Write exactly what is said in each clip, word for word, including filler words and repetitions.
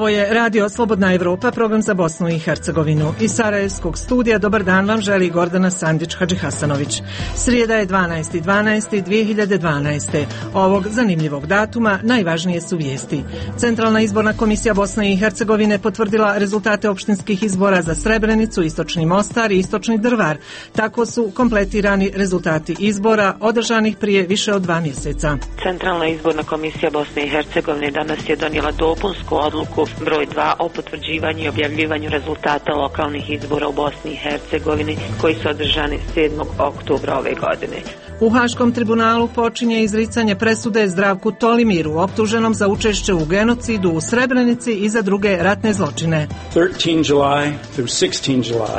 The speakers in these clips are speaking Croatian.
Ovo je Radio Slobodna Evropa, program za Bosnu i Hercegovinu. Iz Sarajevskog studija dobar dan vam želi Gordana Sandić-Hadžihasanović. Srijeda je dvanaesti dvanaesti dvije hiljade dvanaeste. Ovog zanimljivog datuma najvažnije su vijesti. Centralna izborna komisija Bosne i Hercegovine potvrdila rezultate opštinskih izbora za Srebrenicu, Istočni Mostar i Istočni Drvar. Tako su kompletirani rezultati izbora održanih prije više od dva mjeseca. Centralna izborna komisija Bosne i Hercegovine danas je donijela dopunsku odluku broj dva o potvrđivanju i objavljivanju rezultata lokalnih izbora u Bosni i Hercegovini koji su održani sedmog oktobra ove godine. U Haškom tribunalu počinje izricanje presude Zdravku Tolimiru, optuženom za učešće u genocidu u Srebrenici i za druge ratne zločine.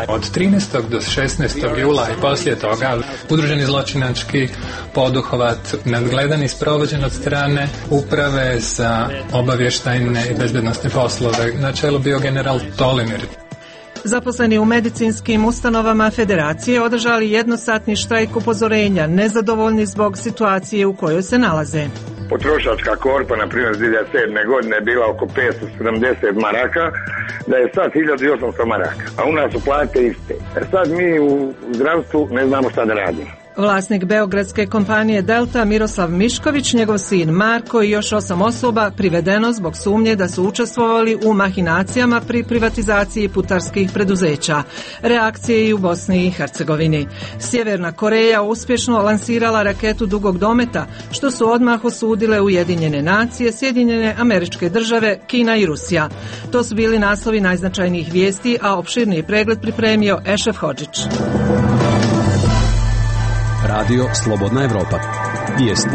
Od trinaestog do šesnaestog jula i poslije toga udruženi zločinački poduhvat nadgledan i sprovođen od strane Uprave za obavještajne i bezbednosne poslove. Na čelu bio general Tolimir. Zaposleni u medicinskim ustanovama Federacije održali jednosatni štrajk upozorenja, nezadovoljni zbog situacije u kojoj se nalaze. Potrošačka korpa, na primjer, iz dvije hiljade sedme godine je bila oko petsto sedamdeset maraka, da je sad hiljadu osamsto maraka, a u nas su plate iste. Sad mi u zdravstvu ne znamo šta da radimo. Vlasnik beogradske kompanije Delta Miroslav Mišković, njegov sin Marko i još osam osoba privedeno zbog sumnje da su učestvovali u mahinacijama pri privatizaciji putarskih preduzeća. Reakcije i u Bosni i Hercegovini. Sjeverna Koreja uspješno lansirala raketu dugog dometa, što su odmah osudile Ujedinjene nacije, Sjedinjene Američke Države, Kina i Rusija. To su bili naslovi najznačajnijih vijesti, a opširniji pregled pripremio Ešef Hodžić. Radio Slobodna Evropa. Vijesti.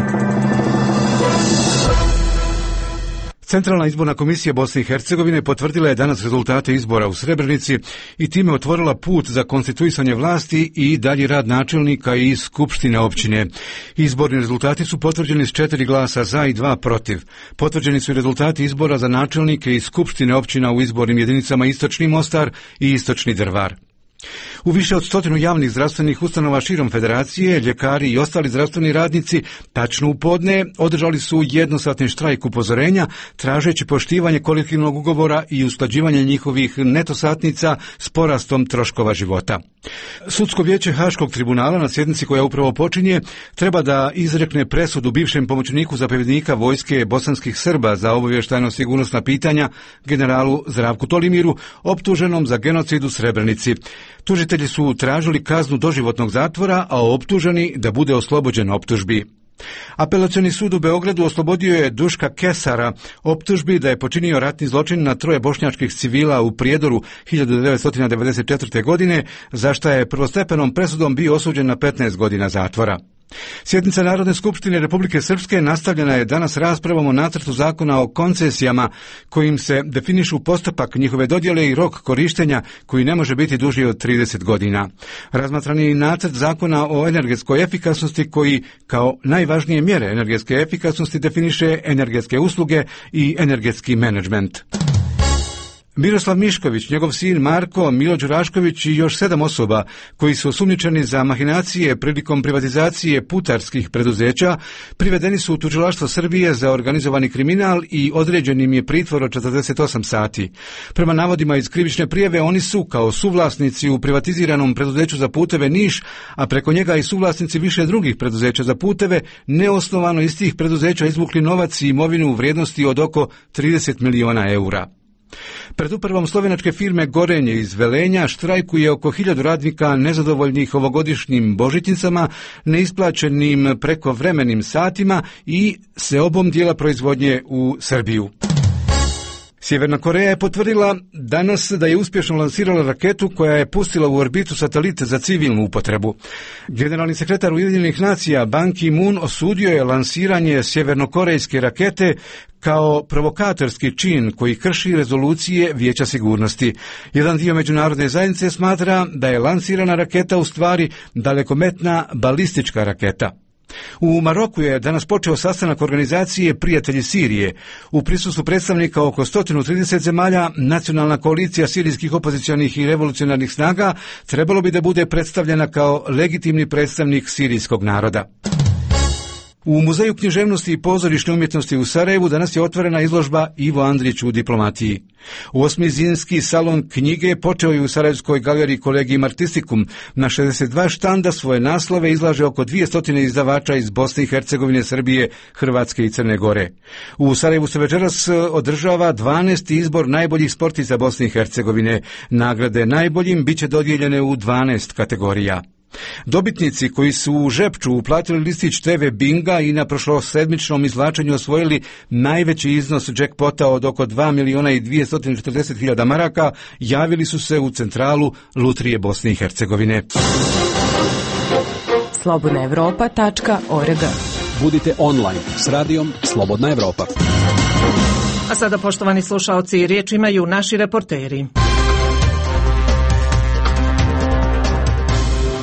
Centralna izborna komisija Bosne i Hercegovine potvrdila je danas rezultate izbora u Srebrenici i time otvorila put za konstituisanje vlasti i dalji rad načelnika i skupštine općine. Izborni rezultati su potvrđeni s četiri glasa za i dva protiv. Potvrđeni su i rezultati izbora za načelnike i skupštine općina u izbornim jedinicama Istočni Mostar i Istočni Drvar. U više od stotinu javnih zdravstvenih ustanova širom Federacije, ljekari i ostali zdravstveni radnici tačno u podne održali su jednosatni štrajk upozorenja, tražeći poštivanje kolektivnog ugovora i usklađivanje njihovih neto satnica s porastom troškova života. Sudsko vijeće Haškog tribunala na sjednici koja upravo počinje treba da izrekne presudu bivšem pomoćniku zapovjednika vojske bosanskih Srba za obavještajno sigurnosna pitanja generalu Zdravku Tolimiru, optuženom za genocid u Srebrenici. Tužitelji su tražili kaznu doživotnog zatvora, a optuženi da bude oslobođen optužbi. Apelacioni sud u Beogradu oslobodio je Duška Kesara optužbi da je počinio ratni zločin na troje bošnjačkih civila u Prijedoru hiljadu devetsto devedeset četvrte. godine, za šta je prvostepenom presudom bio osuđen na petnaest godina zatvora. Sjednica Narodne skupštine Republike Srpske nastavljena je danas raspravom o nacrtu zakona o koncesijama, kojim se definišu postupak njihove dodjele i rok korištenja koji ne može biti duži od trideset godina. Razmatran je i nacrt zakona o energetskoj efikasnosti koji kao najvažnije mjere energetske efikasnosti definiše energetske usluge i energetski menadžment. Miroslav Mišković, njegov sin Marko, Milo Đurašković i još sedam osoba koji su osumnjičeni za mahinacije prilikom privatizacije putarskih preduzeća privedeni su u tužilaštvo Srbije za organizovani kriminal i određen im je pritvor od četrdeset osam sati. Prema navodima iz krivične prijave oni su kao suvlasnici u privatiziranom preduzeću za puteve Niš, a preko njega i suvlasnici više drugih preduzeća za puteve, neosnovano iz tih preduzeća izvukli novac i imovinu u vrijednosti od oko trideset miliona eura. Pred upravom slovenačke firme Gorenje iz Velenja štrajkuje oko hiljadu radnika nezadovoljnih ovogodišnjim božićnicama, neisplaćenim prekovremenim satima i seobom dijela proizvodnje u Srbiju. Sjeverna Koreja je potvrdila danas da je uspješno lansirala raketu koja je pustila u orbitu satelit za civilnu upotrebu. Generalni sekretar Ujedinjenih nacija Ban Ki-moon osudio je lansiranje sjevernokorejske rakete kao provokatorski čin koji krši rezolucije Vijeća sigurnosti. Jedan dio međunarodne zajednice smatra da je lansirana raketa u stvari dalekometna balistička raketa. U Maroku je danas počeo sastanak organizacije Prijatelji Sirije. U prisustvu predstavnika oko sto trideset zemalja, nacionalna koalicija sirijskih opozicionih i revolucionarnih snaga trebalo bi da bude predstavljena kao legitimni predstavnik sirijskog naroda. U Muzeju književnosti i pozorišne umjetnosti u Sarajevu danas je otvorena izložba Ivo Andrić u diplomatiji. Osmizinski salon knjige počeo je u Sarajevskoj galeriji Collegium Artisticum. Na šezdeset dva štanda svoje naslove izlaže oko dvjesto izdavača iz Bosne i Hercegovine, Srbije, Hrvatske i Crne Gore. U Sarajevu se večeras održava dvanaesti izbor najboljih sportista Bosne i Hercegovine. Nagrade najboljim biće dodijeljene u dvanaest kategorija. Dobitnici koji su u Žepču uplatili listić te ve Binga i na prošlosedmičnom izvlačenju osvojili najveći iznos džekpota od oko dva miliona i dvjesto četrdeset hiljada maraka, javili su se u centralu Lutrije Bosne i Hercegovine. slobodna evropa tačka org. Budite online s radijom Slobodna Evropa. A sada, poštovani slušaoci, riječ imaju naši reporteri.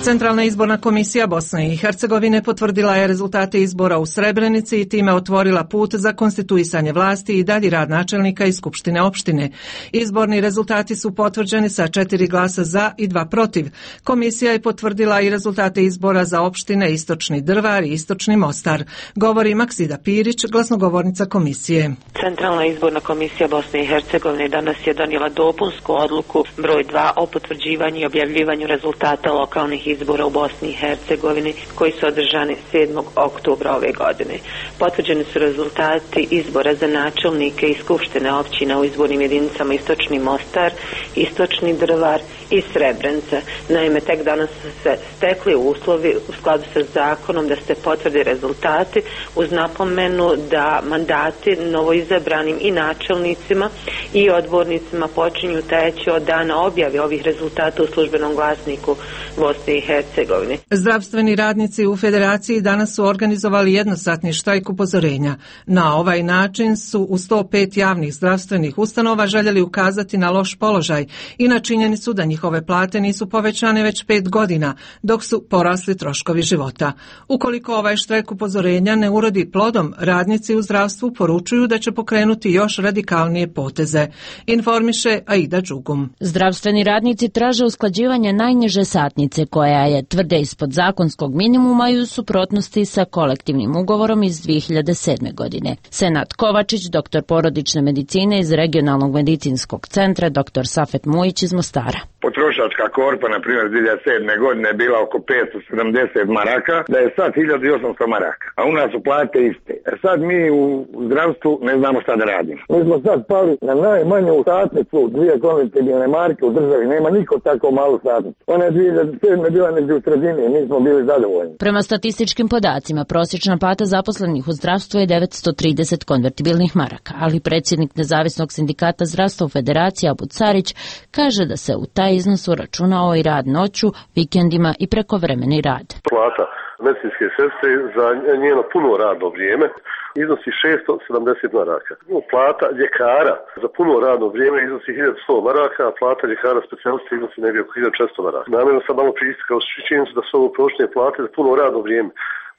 Centralna izborna komisija Bosne i Hercegovine potvrdila je rezultate izbora u Srebrenici i time otvorila put za konstituisanje vlasti i dalji rad načelnika i skupštine opštine. Izborni rezultati su potvrđeni sa četiri glasa za i dva protiv. Komisija je potvrdila i rezultate izbora za opštine Istočni Drvar i Istočni Mostar. Govori Maksida Pirić, glasnogovornica komisije. Centralna izborna komisija Bosne i Hercegovine danas je donijela dopunsku odluku broj dva o potvrđivanju i objavljivanju rezultata lokalnih izbora u Bosni i Hercegovini koji su održani sedmog oktobra ove godine. Potvrđeni su rezultati izbora za načelnike i skupštine općina u izbornim jedinicama Istočni Mostar, Istočni Drvar i Srebrenica. Naime, tek danas su se stekli uslovi u skladu sa zakonom da se potvrde rezultati, uz napomenu da mandati novoizabranim i načelnicima i odbornicima počinju teći od dana objave ovih rezultata u službenom glasniku Bosne i Hercegovine. Zdravstveni radnici u Federaciji danas su organizovali jednosatni štrajk upozorenja. Na ovaj način su u sto pet javnih zdravstvenih ustanova željeli ukazati na loš položaj i na činjenicu da njihove plate nisu povećane već pet godina, dok su porasli troškovi života. Ukoliko ovaj štrajk upozorenja ne urodi plodom, radnici u zdravstvu poručuju da će pokrenuti još radikalnije poteze. Informiše Aida Đugum. Zdravstveni radnici traže usklađivanje najniže satnice koja je, tvrde, ispod zakonskog minimuma i u suprotnosti sa kolektivnim ugovorom iz dvije hiljade sedme. godine. Senat Kovačić, doktor porodične medicine iz regionalnog medicinskog centra, doktor Safet Mujić iz Mostara. Potrošačka korpa, na primjer, dvije hiljade sedme. godine je bila oko petsto sedamdeset maraka, da je sad hiljadu i osamsto maraka, a u nas su plate iste. E sad mi u zdravstvu ne znamo šta da radimo. Mi smo sad pali na najmanju satnicu, dvije konvertibilne marke u državi, nema niko tako malu satnicu. Ona je dvije hiljade sedme. bila negdje u sredini, mi smo bili zadovoljni. Prema statističkim podacima, prosječna plata zaposlenih u zdravstvu je devetsto trideset konvertibilnih maraka, ali predsjednik Nezavisnog sindikata zdravstva u Federaciji Abu Carić kaže da se u taj iznos uračunao i rad noću, vikendima i prekovremeni rad. Plata medicinske sestre za njeno puno radno vrijeme iznosi šesto sedamdeset maraka. Plata ljekara za puno radno vrijeme iznosi hiljadu sto maraka, a plata ljekara specijalista iznosi negdje oko hiljadu četiristo maraka. Namjerno sam malo pristikao s činjenicu da su ovo prošle plate za puno radno vrijeme.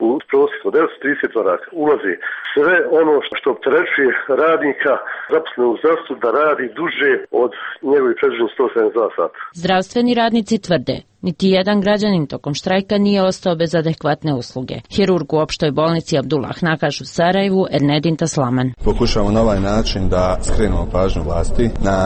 U prosjeku devetsto trideset maraka ulazi sve ono što opterećuje radnika zaposlenog u zdravstvu da radi duže od njegovih predviđenih sto sedamdeset dva sata. Zdravstveni radnici tvrde, niti jedan građanin tokom štrajka nije ostao bez adekvatne usluge. Hirurg u opštoj bolnici Abdullah Nakaš u Sarajevu, Ernedin Taslaman. Pokušavamo na ovaj način da skrenemo pažnju vlasti na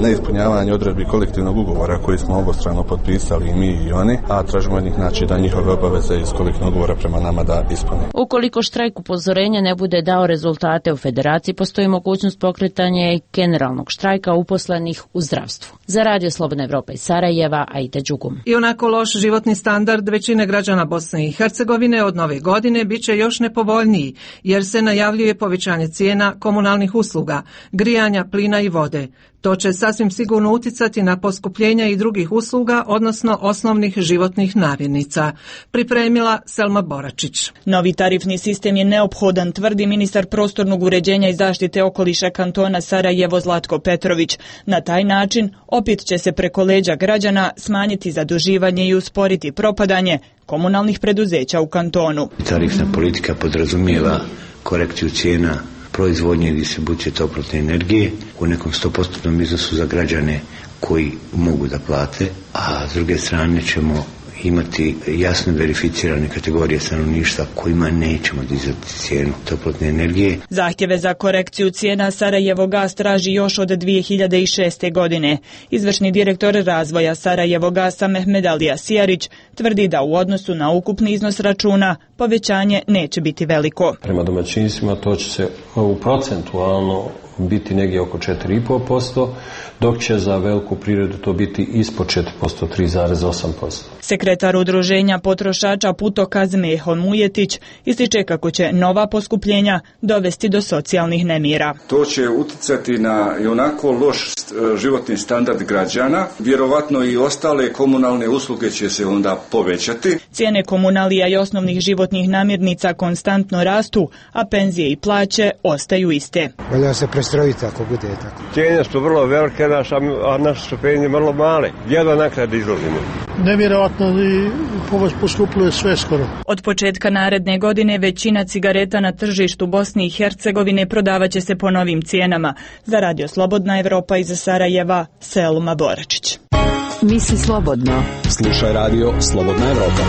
neispunjavanje odredbi kolektivnog ugovora koji smo obostrano potpisali i mi i oni, a tražimo od njih znači da njihove obaveze iz kolektivnog ugovora prema nama da ispune. Ukoliko štrajk upozorenja ne bude dao rezultate u Federaciji, postoji mogućnost pokretanja i generalnog štrajka uposlenih u zdravstvu. Za Radio Slobodna Evropa iz Sarajeva, Aida Đugum. I onako loš životni standard većine građana Bosne i Hercegovine od nove godine bit će još nepovoljniji, jer se najavljuje povećanje cijena komunalnih usluga, grijanja, plina i vode. To će sasvim sigurno uticati na poskupljenja i drugih usluga, odnosno osnovnih životnih namirnica. Pripremila Selma Boračić. Novi tarifni sistem je neophodan, tvrdi ministar prostornog uređenja i zaštite okoliša kantona Sarajevo Zlatko Petrović. Na taj način opet će se preko leđa građana smanjiti zaduživanje i usporiti propadanje komunalnih preduzeća u kantonu. Tarifna politika podrazumijeva korekciju cijena proizvodnje i distribucije toplotne energije u nekom sto posto iznosu za građane koji mogu da plate, a s druge strane ćemo imati jasno verificirane kategorije stanovništva kojima nećemo dizati cijenu toplotne energije. Zahtjeve za korekciju cijena Sarajevo Gas traži još od dvije hiljade šeste. godine. Izvršni direktor razvoja Sarajevo Gasa Mehmed Alija Sijarić tvrdi da u odnosu na ukupni iznos računa povećanje neće biti veliko. Prema domaćinstvima to će se u procentualno biti negdje oko četiri zarez pet posto, dok će za veliku privredu to biti ispod četiri posto, tri zarez osam posto. Sekretar udruženja potrošača Putokaz Meho Mujetić ističe kako će nova poskupljenja dovesti do socijalnih nemira. To će utjecati na i onako loš životni standard građana, vjerovatno i ostale komunalne usluge će se onda povećati. Cijene komunalija i osnovnih životnih namirnica konstantno rastu, a penzije i plaće ostaju iste. Valja se prestrojiti ako bude tako. Cijene su vrlo velike, a naše su penzije vrlo male. Jedva naknade izlazimo. Nevjerojatno i poskupljuje sve skoro. Od početka naredne godine većina cigareta na tržištu Bosne i Hercegovine prodavat će se po novim cijenama. Za Radio Slobodna Evropa iz Sarajeva, Selma Boračić. Misli slobodno. Slušaj Radio Slobodna Evropa.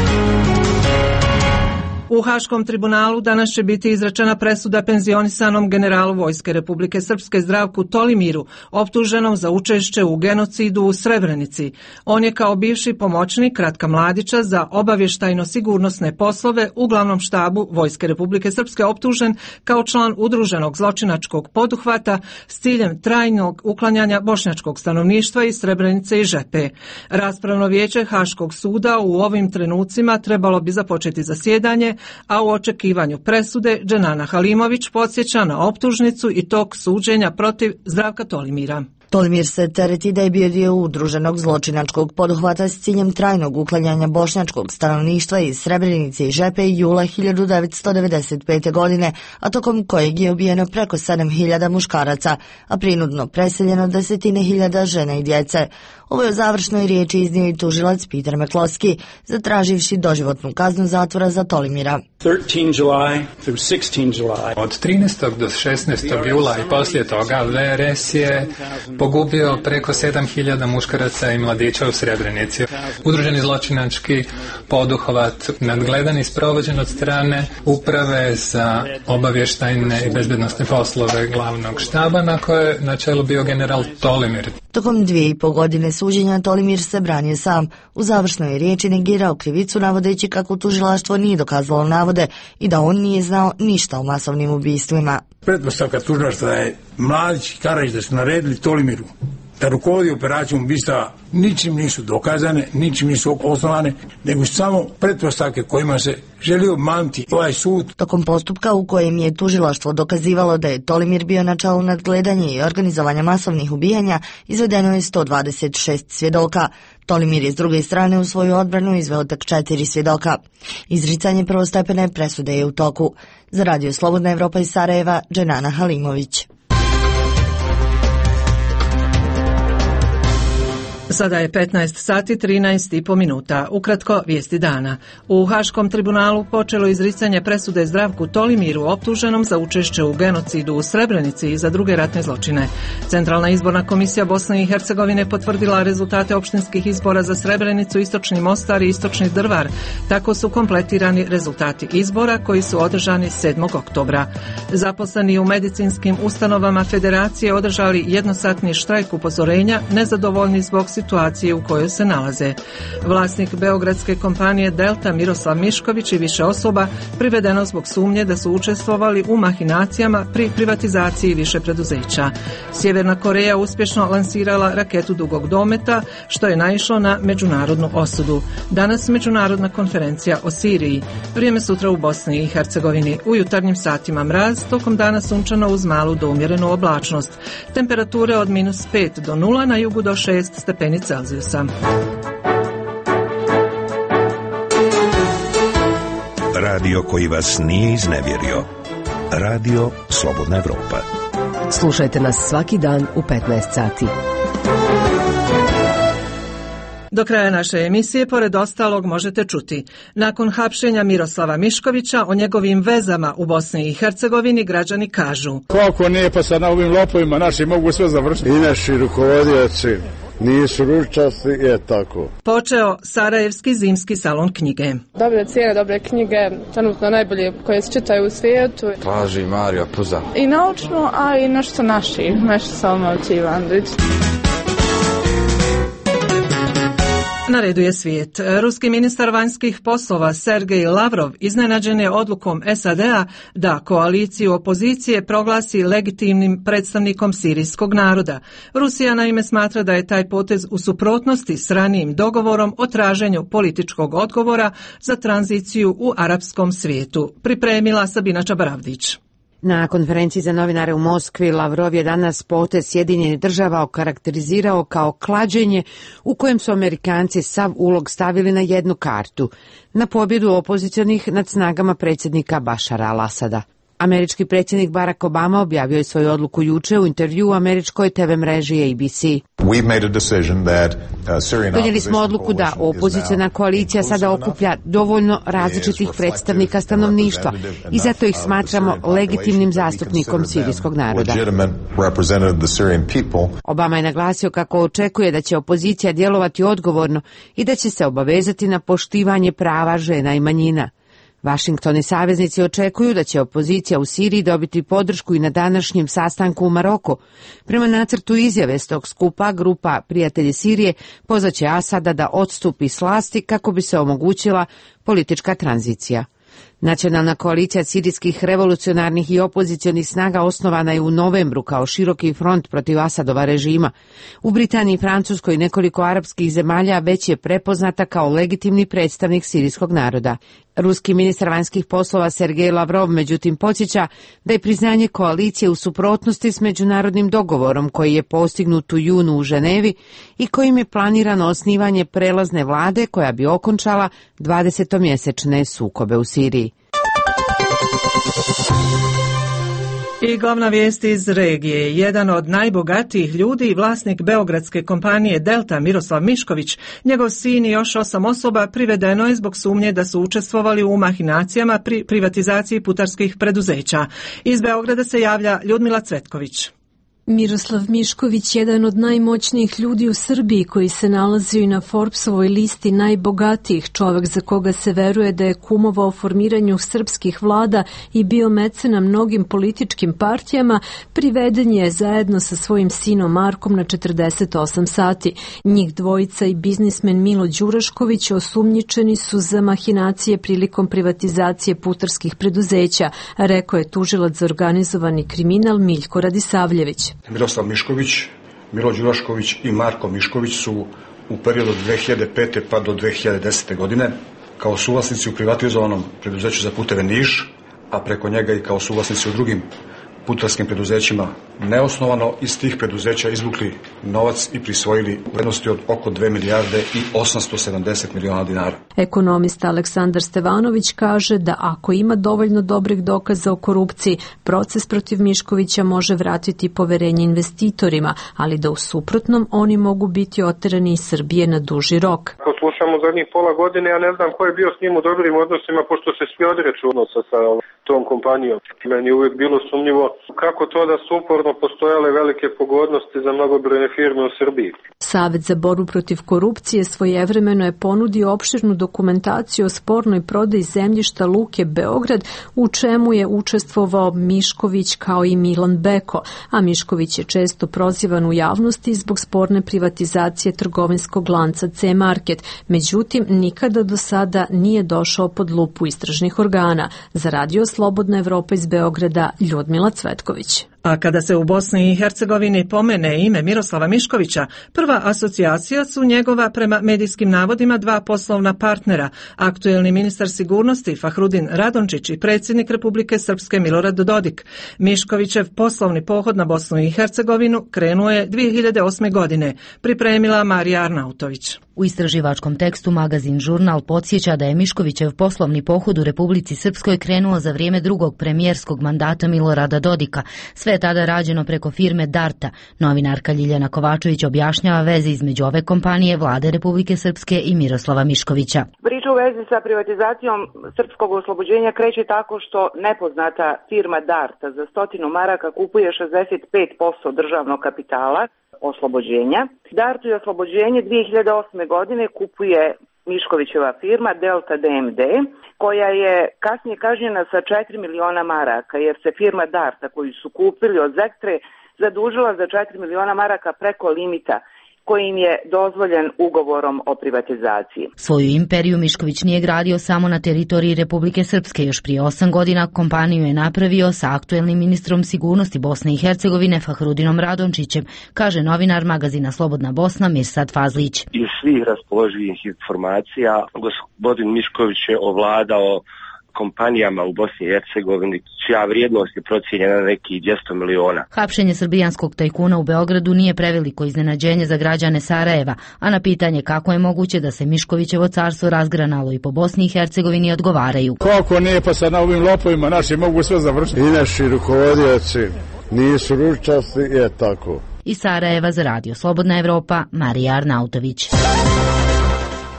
U Haškom tribunalu danas će biti izrečena presuda penzionisanom generalu Vojske Republike Srpske Zdravku Tolimiru, optuženom za učešće u genocidu u Srebrenici. On je kao bivši pomoćnik Ratka Mladića za obavještajno-sigurnosne poslove u glavnom štabu Vojske Republike Srpske optužen kao član udruženog zločinačkog poduhvata s ciljem trajnog uklanjanja bošnjačkog stanovništva iz Srebrenice i Žepe. Raspravno vijeće Haškog suda u ovim trenucima trebalo bi započeti zasjedanje, a u očekivanju presude Dženana Halimović podsjeća na optužnicu i tok suđenja protiv Zdravka Tolimira. Tolimir se tereti da je bio dio udruženog zločinačkog poduhvata s ciljem trajnog uklanjanja bošnjačkog stanovništva iz Srebrenice i Žepe jula hiljadu devetsto devedeset pete. godine, a tokom kojeg je ubijeno preko sedam hiljada muškaraca, a prinudno preseljeno desetine hiljada žena i djece. Ovo je u završnoj riječi iznio i tužilac Peter McCloskey, zatraživši doživotnu kaznu zatvora za Tolimira. Od trinaestog do šesnaestog jula i poslije toga V R S je pogubio preko sedam hiljada muškaraca i mladića u Srebrenici. Udruženi zločinački poduhvat nadgledan i sprovođen od strane Uprave za obavještajne i bezbednosne poslove glavnog štaba, na koje je na čelu bio general Tolimir. Tokom dvije i po godine suđenja Tolimir se branio sam. U završnoj riječi negirao krivicu navodeći kako tužilaštvo nije dokazalo navode i da on nije znao ništa o masovnim ubistvima. Pretpostavka tužilaštva da je Mladić i Karađić da su naredili Tolimiru da rukovodi operacijom ubistva ničim nisu dokazane, ničim nisu osnovane, nego samo pretpostavke kojima se želi obmanuti ovaj sud. Tokom postupka u kojem je tužilaštvo dokazivalo da je Tolimir bio na čelu nadgledanja i organizovanja masovnih ubijanja, izvedeno je sto dvadeset šest svjedoka. Tolimir je s druge strane u svoju odbranu izveo tek četiri svjedoka. Izricanje prvostepene presude je u toku. Za Radio Slobodna Evropa iz Sarajeva, Dženana Halimović. Sada je petnaest sati trinaest i po minuta. Ukratko vijesti dana. U Haškom tribunalu počelo izricanje presude Zdravku Tolimiru, optuženom za učešće u genocidu u Srebrenici i za druge ratne zločine. Centralna izborna komisija Bosne i Hercegovine potvrdila rezultate opštinskih izbora za Srebrenicu, Istočni Mostar i Istočni Drvar. Tako su kompletirani rezultati izbora koji su održani sedmog oktobra. Zaposleni u medicinskim ustanovama Federacije održali jednosatni štrajk upozorenja, nezadovoljni zbog situacije u kojoj se nalaze. Vlasnik beogradske kompanije Delta Miroslav Mišković i više osoba privedeno zbog sumnje da su učestvovali u mahinacijama pri privatizaciji više preduzeća. Sjeverna Koreja uspješno lansirala raketu dugog dometa, što je naišlo na međunarodnu osudu. Danas međunarodna konferencija o Siriji. Vrijeme sutra u Bosni i Hercegovini. U jutarnjim satima mraz, tokom dana sunčano uz malu do umjerenu oblačnost. Temperature od minus pet do nula, na jugu do šest stepeni Celzijusa. Radio koji vas nije iznevjerio. Radio Slobodna Evropa. Slušajte nas svaki dan u petnaest sati. Do kraja naše emisije, pored ostalog, možete čuti. Nakon hapšenja Miroslava Miškovića, o njegovim vezama u Bosni i Hercegovini građani kažu: Kako nije, pa sad na ovim lopovima naši mogu sve završiti. I naši rukovodioci nisu ručasti, je tako. Počeo Sarajevski zimski salon knjige. Dobre cijene, dobre knjige, trenutno najbolje koje se čitaju u svijetu. Traži Mario Puza. I naučno, a i nešto naši, nešto Salmovci Ivanović. Na redu je svijet. Ruski ministar vanjskih poslova Sergej Lavrov iznenađen je odlukom S A D-a da koaliciju opozicije proglasi legitimnim predstavnikom sirijskog naroda. Rusija naime smatra da je taj potez u suprotnosti s ranijim dogovorom o traženju političkog odgovora za tranziciju u arapskom svijetu. Pripremila Sabina Čabaravdić. Na konferenciji za novinare u Moskvi Lavrov je danas potez Sjedinjenih država okarakterizirao kao klađenje u kojem su Amerikanci sav ulog stavili na jednu kartu, na pobjedu opozicionih nad snagama predsjednika Bašara al-Asada. Američki predsjednik Barack Obama objavio je svoju odluku juče u intervju u američkoj te ve mreži A B C. Donijeli smo odluku da opoziciona koalicija sada okuplja dovoljno različitih predstavnika stanovništva i zato ih smatramo legitimnim zastupnikom sirijskog naroda. Obama je naglasio kako očekuje da će opozicija djelovati odgovorno i da će se obavezati na poštivanje prava žena i manjina. Washington i saveznici očekuju da će opozicija u Siriji dobiti podršku i na današnjem sastanku u Maroku. Prema nacrtu izjave s tog skupa, grupa Prijatelji Sirije pozvaće Asada da odstupi s vlasti kako bi se omogućila politička tranzicija. Nacionalna koalicija sirijskih revolucionarnih i opozicionih snaga osnovana je u novembru kao široki front protiv Asadova režima. U Britaniji, Francuskoj i nekoliko arapskih zemalja već je prepoznata kao legitimni predstavnik sirijskog naroda. Ruski ministar vanjskih poslova Sergej Lavrov međutim podsjeća da je priznanje koalicije u suprotnosti s međunarodnim dogovorom koji je postignut u junu u Ženevi i kojim je planirano osnivanje prelazne vlade koja bi okončala dvadesetomjesečne sukobe u Siriji. I glavna vijest iz regije. Jedan od najbogatijih ljudi i vlasnik beogradske kompanije Delta Miroslav Mišković, njegov sin i još osam osoba privedeno je zbog sumnje da su učestvovali u mahinacijama pri privatizaciji putarskih preduzeća. Iz Beograda se javlja Ljudmila Cvetković. Miroslav Mišković, jedan od najmoćnijih ljudi u Srbiji koji se nalazio i na Forbesovoj listi najbogatijih, čovjek za koga se veruje da je kumovao formiranju srpskih vlada i bio mecena mnogim političkim partijama, priveden je zajedno sa svojim sinom Markom na četrdeset osam sati. Njih dvojica i biznismen Milo Đurašković osumnjičeni su za mahinacije prilikom privatizacije putarskih preduzeća, rekao je tužilac za organizovani kriminal Miljko Radisavljević. Miroslav Mišković, Milo Đurašković i Marko Mišković su u periodu od dve hiljade pete pa do dve hiljade desete. godine kao suvlasnici u privatizovanom preduzeću za puteve Niš, a preko njega i kao suvlasnici u drugim putarskim preduzećima neosnovano iz tih preduzeća izvukli novac i prisvojili u vrednosti od oko dve milijarde i osamsto sedamdeset miliona dinara. Ekonomista Aleksandar Stevanović kaže da ako ima dovoljno dobrih dokaza o korupciji, proces protiv Miškovića može vratiti poverenje investitorima, ali da u suprotnom oni mogu biti oterani iz Srbije na duži rok. Ako slušamo zadnjih pola godine, ja ne znam ko je bio s njim u dobrim odnosima, pošto se svi odreću odnosa sa tom kompanijom. Meni je uvijek bilo sumnjivo kako to da su uporno postojale velike pogodnosti za mnogobrojne firme u Srbiji. Savet za borbu protiv korupcije svojevremeno je ponudio opširnu dokumentaciju o spornoj prodaji zemljišta Luke Beograd, u čemu je učestvovao Mišković kao i Milan Beko, a Mišković je često prozivan u javnosti zbog sporne privatizacije trgovinskog lanca C-Market, međutim nikada do sada nije došao pod lupu istražnih organa. Za Radio Slobodna Evropa iz Beograda, Ljudmila Cvetković. A kada se u Bosni i Hercegovini pomene ime Miroslava Miškovića, prva asocijacija su njegova prema medijskim navodima dva poslovna partnera, aktuelni ministar sigurnosti Fahrudin Radončić i predsjednik Republike Srpske Milorad Dodik. Miškovićev poslovni pohod na Bosnu i Hercegovinu krenuo je dvije hiljade osme. godine, pripremila Marija Arnautović. U istraživačkom tekstu magazin Žurnal podsjeća da je Miškovićev poslovni pohod u Republici Srpskoj krenuo za vrijeme drugog premijerskog mandata Milorada Dodika. Sve Sve je tada rađeno preko firme Darta. Novinarka Ljiljana Kovačević objašnjava veze između ove kompanije, Vlade Republike Srpske i Miroslava Miškovića. Priča u vezi sa privatizacijom srpskog oslobođenja kreće tako što nepoznata firma Darta za stotinu maraka kupuje šezdeset pet posto državnog kapitala oslobođenja. Dartu je oslobođenje dvije hiljade osme. godine kupuje Miškovićeva firma Delta D M D, koja je kasnije kažnjena sa četiri miliona maraka, jer se firma Darta koju su kupili od Zektre zadužila za četiri miliona maraka preko limita koji im je dozvoljen ugovorom o privatizaciji. Svoju imperiju Mišković nije gradio samo na teritoriji Republike Srpske. Još prije osam godina kompaniju je napravio sa aktuelnim ministrom sigurnosti Bosne i Hercegovine Fahrudinom Radončićem, kaže novinar magazina Slobodna Bosna Mirsad Fazlić. Iz svih raspoloživih informacija gospodin Mišković je ovladao kompanijama u Bosni i Hercegovini, čija vrijednost je procijenjena na nekih dvjesto miliona. Hapšenje srbijanskog tajkuna u Beogradu nije preveliko iznenađenje za građane Sarajeva, a na pitanje kako je moguće da se Miškovićevo carstvo razgranalo i po Bosni i Hercegovini odgovaraju. Kako ne, pa sad na ovim lopovima naši mogu sve završiti. I naši rukovodioci nisu ručasti, je tako. Iz Sarajeva za Radio Slobodna Evropa, Marija Arnautović.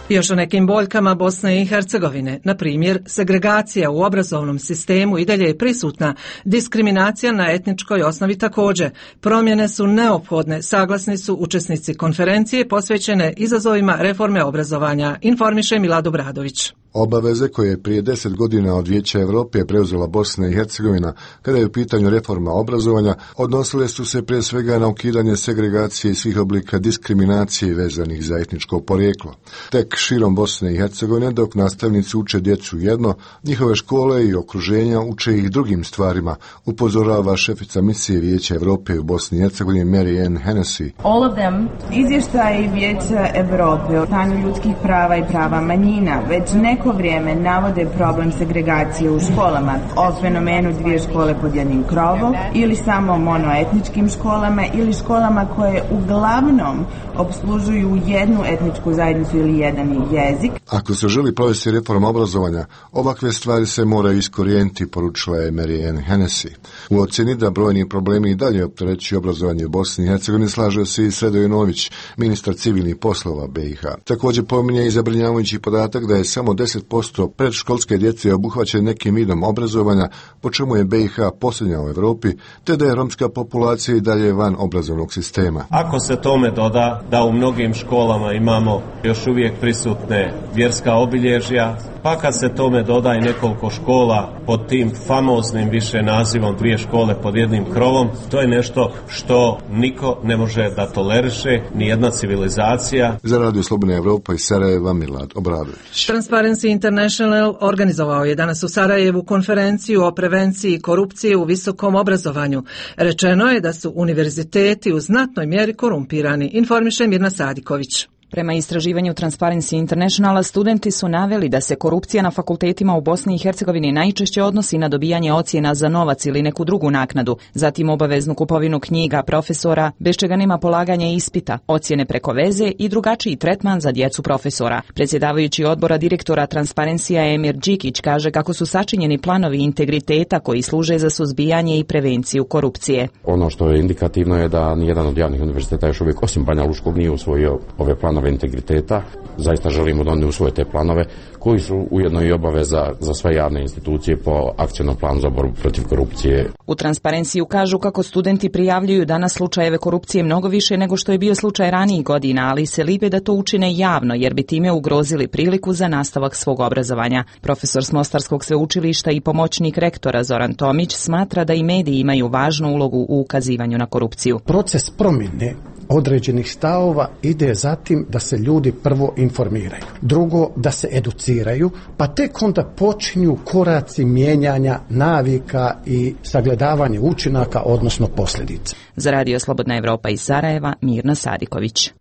Još o nekim boljkama Bosne i Hercegovine. Na primjer, segregacija u obrazovnom sistemu i dalje je prisutna, diskriminacija na etničkoj osnovi također. Promjene su neophodne, saglasni su učesnici konferencije posvećene izazovima reforme obrazovanja, informiše Milad Obradović. Obaveze koje je prije deset godina od Vijeća Europe preuzela Bosna i Hercegovina kada je u pitanju reforma obrazovanja, odnosile su se prije svega na ukidanje segregacije i svih oblika diskriminacije vezanih za etničko porijeklo. Tek širom Bosne i Hercegovine, dok nastavnici uče djecu jedno, njihove škole i okruženja uče ih drugim stvarima, upozorava šefica misije Vijeća Europe u Bosni i Hercegovini Mary Ann Hennessy. All of them, izvještaji Vijeća Europe o stanju ljudskih prava i prava manjina već neko vrijeme navode problem segregacije u školama, o fenomenu dvije škole pod jednim krovom ili samo monoetničkim školama ili školama koje uglavnom opslužuju jednu etničku zajednicu ili jedan jezik. Ako se želi provesti reforma obrazovanja, ovakve stvari se moraju iskorijeniti, poručila je Mary Ann Hennessy. U ocjeni da brojni problemi i dalje opterećuju obrazovanje u Bosni i Hercegovini slaže se i Sredo Nović, ministar civilnih poslova B i H. Također pominje i zabrinjavajući podatak da je samo deset posto predškolske djece obuhvaćene nekim vidom obrazovanja, po čemu je B i H posljednja u Europi, te da je romska populacija i dalje van obrazovnog sistema. Ako se tome doda da u mnogim školama imamo još uvijek prisutne vjerska obilježja, pa kad se tome doda i nekoliko škola pod tim famoznim više nazivom dvije škole pod jednim krovom, to je nešto što niko ne može da toleriše, ni jedna civilizacija. Za Radio Slobodna Evropa iz Sarajeva, Milad Obradović. Transparency International organizovao je danas u Sarajevu konferenciju o prevenciji korupcije u visokom obrazovanju. Rečeno je da su univerziteti u znatnoj mjeri korumpirani, informiše Mirna Sadiković. Prema istraživanju Transparency Internationala, studenti su naveli da se korupcija na fakultetima u Bosni i Hercegovini najčešće odnosi na dobijanje ocjena za novac ili neku drugu naknadu, zatim obaveznu kupovinu knjiga profesora, bez čega nema polaganja ispita, ocjene preko veze i drugačiji tretman za djecu profesora. Predsjedavajući odbora direktora Transparencija Emir Đikić kaže kako su sačinjeni planovi integriteta koji služe za suzbijanje i prevenciju korupcije. Ono što je indikativno je da nijedan od javnih univerziteta još uvijek osim Banja Lučkog nije usvojio ove planove integriteta. Zaista želimo da oni usvoje te planove koji su ujedno i obaveza za sve javne institucije po akcionom planu za borbu protiv korupcije. U Transparenciju kažu kako studenti prijavljuju danas slučajeve korupcije mnogo više nego što je bio slučaj ranijih godina, ali se libe da to učine javno jer bi time ugrozili priliku za nastavak svog obrazovanja. Profesor s Mostarskog sveučilišta i pomoćnik rektora Zoran Tomić smatra da i mediji imaju važnu ulogu u ukazivanju na korupciju. Proces promjene određenih stavova ide zatim da se ljudi prvo informiraju, drugo da se educiraju, pa tek onda počinju koraci mijenjanja navika i sagledavanje učinaka, odnosno posljedica. Za Radio Slobodna Evropa iz Sarajeva, Mirna Sadiković.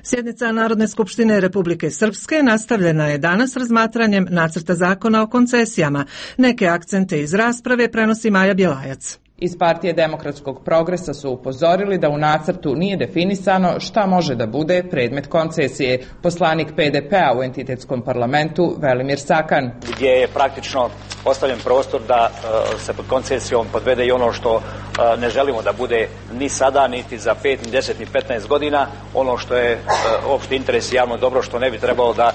Sjednica Narodne skupštine Republike Srpske nastavljena je danas razmatranjem nacrta zakona o koncesijama. Neke akcente iz rasprave prenosi Maja Bjelajac. Iz Partije demokratskog progresa su upozorili da u nacrtu nije definisano šta može da bude predmet koncesije. Poslanik P D P-a u entitetskom parlamentu Velimir Sakan. Gdje je praktično ostavljen prostor da se pod koncesijom podvede i ono što ne želimo da bude ni sada, niti za pet, ni deset, ni petnaest godina, ono što je opšti interes i javno dobro, što ne bi trebalo da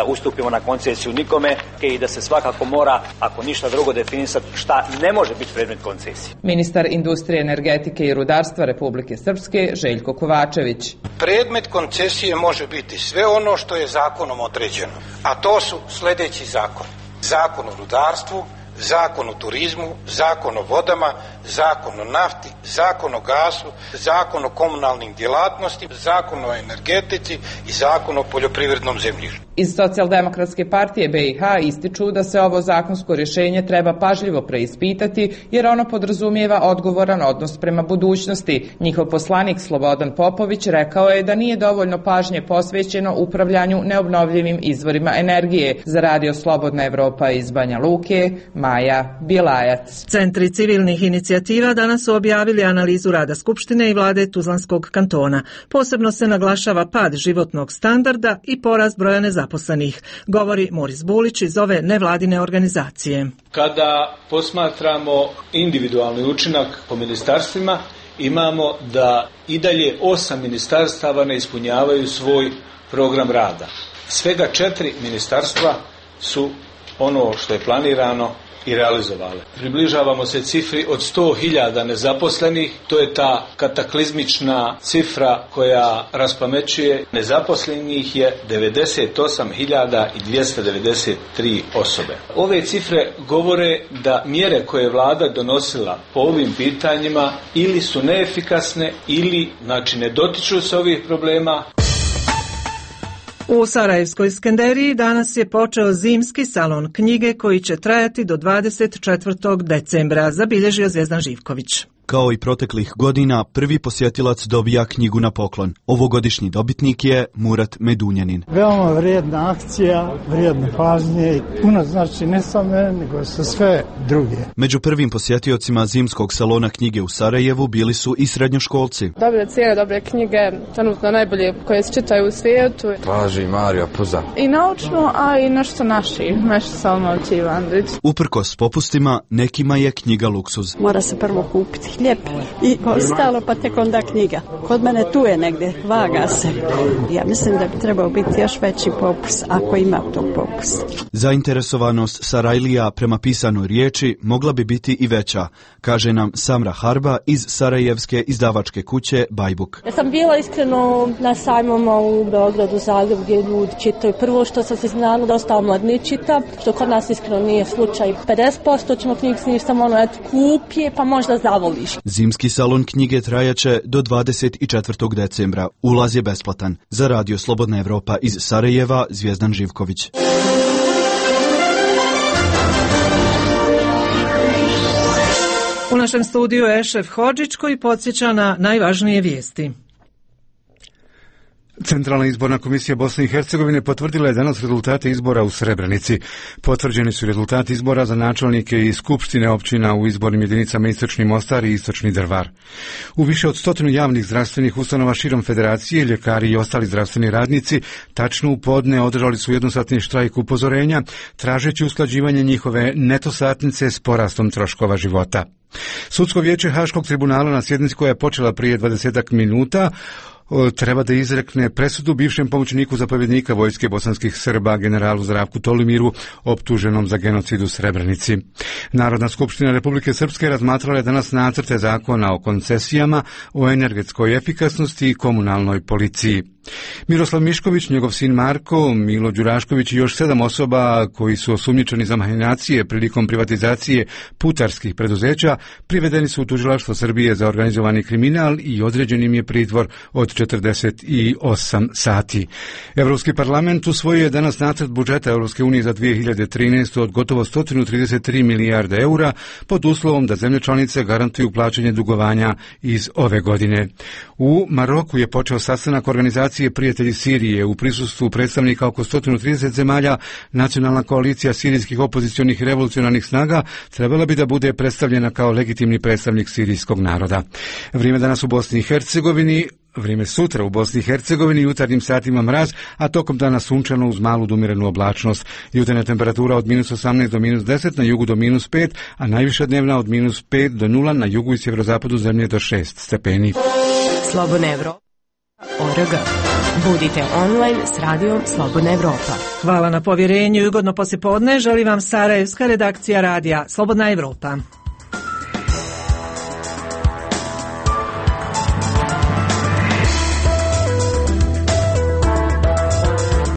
ustupimo na koncesiju nikome i da se svakako mora, ako ništa drugo, definisati šta ne može biti predmet koncesije. Ministar industrije, energetike i rudarstva Republike Srpske Željko Kovačević. Predmet koncesije može biti sve ono što je zakonom određeno, a to su sljedeći zakon. Zakon o rudarstvu, zakon o turizmu, zakon o vodama, zakon o nafti, zakon o gasu, zakon o komunalnim djelatnostima, zakon o energetici i zakon o poljoprivrednom zemljištu. Iz Socijaldemokratske partije B i H ističu da se ovo zakonsko rješenje treba pažljivo preispitati jer ono podrazumijeva odgovoran odnos prema budućnosti. Njihov poslanik Slobodan Popović rekao je da nije dovoljno pažnje posvećeno upravljanju neobnovljivim izvorima energije. Za Radio Slobodna Evropa iz Banja Luke, Maja Bjelajac. Centri civilnih inicijativa danas su objavili analizu rada Skupštine i vlade Tuzlanskog kantona. Posebno se naglašava pad životnog standarda i porast broja nezaposlenih, govori Moris Bulić iz ove nevladine organizacije. Kada posmatramo individualni učinak po ministarstvima, imamo da i dalje osam ministarstava ne ispunjavaju svoj program rada. Svega četiri ministarstva su ono što je planirano i realizovale. Približavamo se cifri od sto hiljada nezaposlenih, to je ta kataklizmična cifra koja raspamećuje. Nezaposlenih je devedeset osam hiljada dvjesto devedeset tri osobe. Ove cifre govore da mjere koje je vlada donosila po ovim pitanjima ili su neefikasne ili znači ne dotiču se ovih problema. U Sarajevskoj Skenderiji danas je počeo zimski salon knjige koji će trajati do dvadeset četvrtog decembra, zabilježio Zvjezdan Živković. Kao i proteklih godina, prvi posjetilac dobija knjigu na poklon. Ovogodišnji dobitnik je Murat Medunjanin. Veoma vrijedna akcija, vrijedne pažnje i puno znači ne samo mene, nego sa sve druge. Među prvim posjetiocima zimskog salona knjige u Sarajevu bili su i srednjoškolci. Dobre cijele, dobre knjige, trenutno najbolje koje se čitaju u svijetu. Traži Mario Puza. I naučno, a i nešto naši, nešto Salmović i Ivandrić. Uprkos popustima, nekima je knjiga luksuz. Mora se prvo kupiti hljeb i ostalo pa tek onda knjiga. Kod mene tu je negdje, vaga se. Ja mislim da bi trebao biti još veći popus, ako ima tog popusa. Zainteresovanost Sarajlija prema pisanoj riječi mogla bi biti i veća, kaže nam Samra Harba iz sarajevske izdavačke kuće Bajbuk. Ja sam bila iskreno na sajmama u Beogradu, Zagrebu, gdje ljudi čitaju. Prvo što sam se znala da ostalo mladni čita, što kod nas iskreno nije slučaj. pedeset posto ćemo knjig snimiti samo ono, eto, kupje, pa možda zavoliš. Zimski salon knjige trajaće do dvadeset četvrtog decembra. Ulaz je besplatan. Za Radio Slobodna Evropa iz Sarajeva, Zvjezdan Živković. U našem studiju je Ešef Hodžić koji podsjeća na najvažnije vijesti. Centralna izborna komisija Bosne i Hercegovine potvrdila je danas rezultate izbora u Srebrenici. Potvrđeni su rezultati izbora za načelnike i skupštine općina u izbornim jedinicama Istočni Mostar i Istočni Drvar. U više od stotinu javnih zdravstvenih ustanova širom federacije, ljekari i ostali zdravstveni radnici tačno u podne održali su jednosatni štrajk upozorenja, tražeći usklađivanje njihove neto satnice s porastom troškova života. Sudsko vijeće Haškog tribunala na sjednici koja je počela prije dvadesetak minuta treba da izrekne presudu bivšem pomoćniku zapovjednika vojske bosanskih Srba, generalu Zdravku Tolimiru, optuženom za genocid u Srebrenici. Narodna skupština Republike Srpske razmatrala je danas nacrte zakona o koncesijama, o energetskoj efikasnosti i komunalnoj policiji. Miroslav Mišković, njegov sin Marko, Milo Đurašković i još sedam osoba koji su osumnjičeni za mahinacije prilikom privatizacije putarskih preduzeća privedeni su u tužilaštvo Srbije za organizovani kriminal i određen im je pritvor od četrdeset osam sati. Evropski parlament usvojio je danas nacrt budžeta Evropske unije za dvije hiljade trinaestu. od gotovo sto trideset tri milijarde eura pod uslovom da zemlje članice garantuju plaćanje dugovanja iz ove godine. U Maroku je počeo sastanak organizacije Prijatelji Sirije u prisustvu predstavnika oko sto trideset zemalja. Nacionalna koalicija sirijskih opozicionih i revolucionarnih snaga trebala bi da bude predstavljena kao legitimni predstavnik sirijskog naroda. Vrijeme danas u Bosni i Hercegovini Vrijeme sutra u Bosni i Hercegovini, jutarnjim satima mraz, a tokom dana sunčano uz malu dumirenu oblačnost. Jutarnja temperatura od minus osamnaest do minus deset, na jugu do minus pet, a najviša dnevna od minus pet do nula, na jugu i sjeverozapadu zemlje do šest stepeni. Slobodna Evropa. O R G. Budite online s radijom Slobodna Evropa. Hvala na povjerenju i ugodno poslijepodne. Želi vam sarajevska redakcija radija Slobodna Evropa.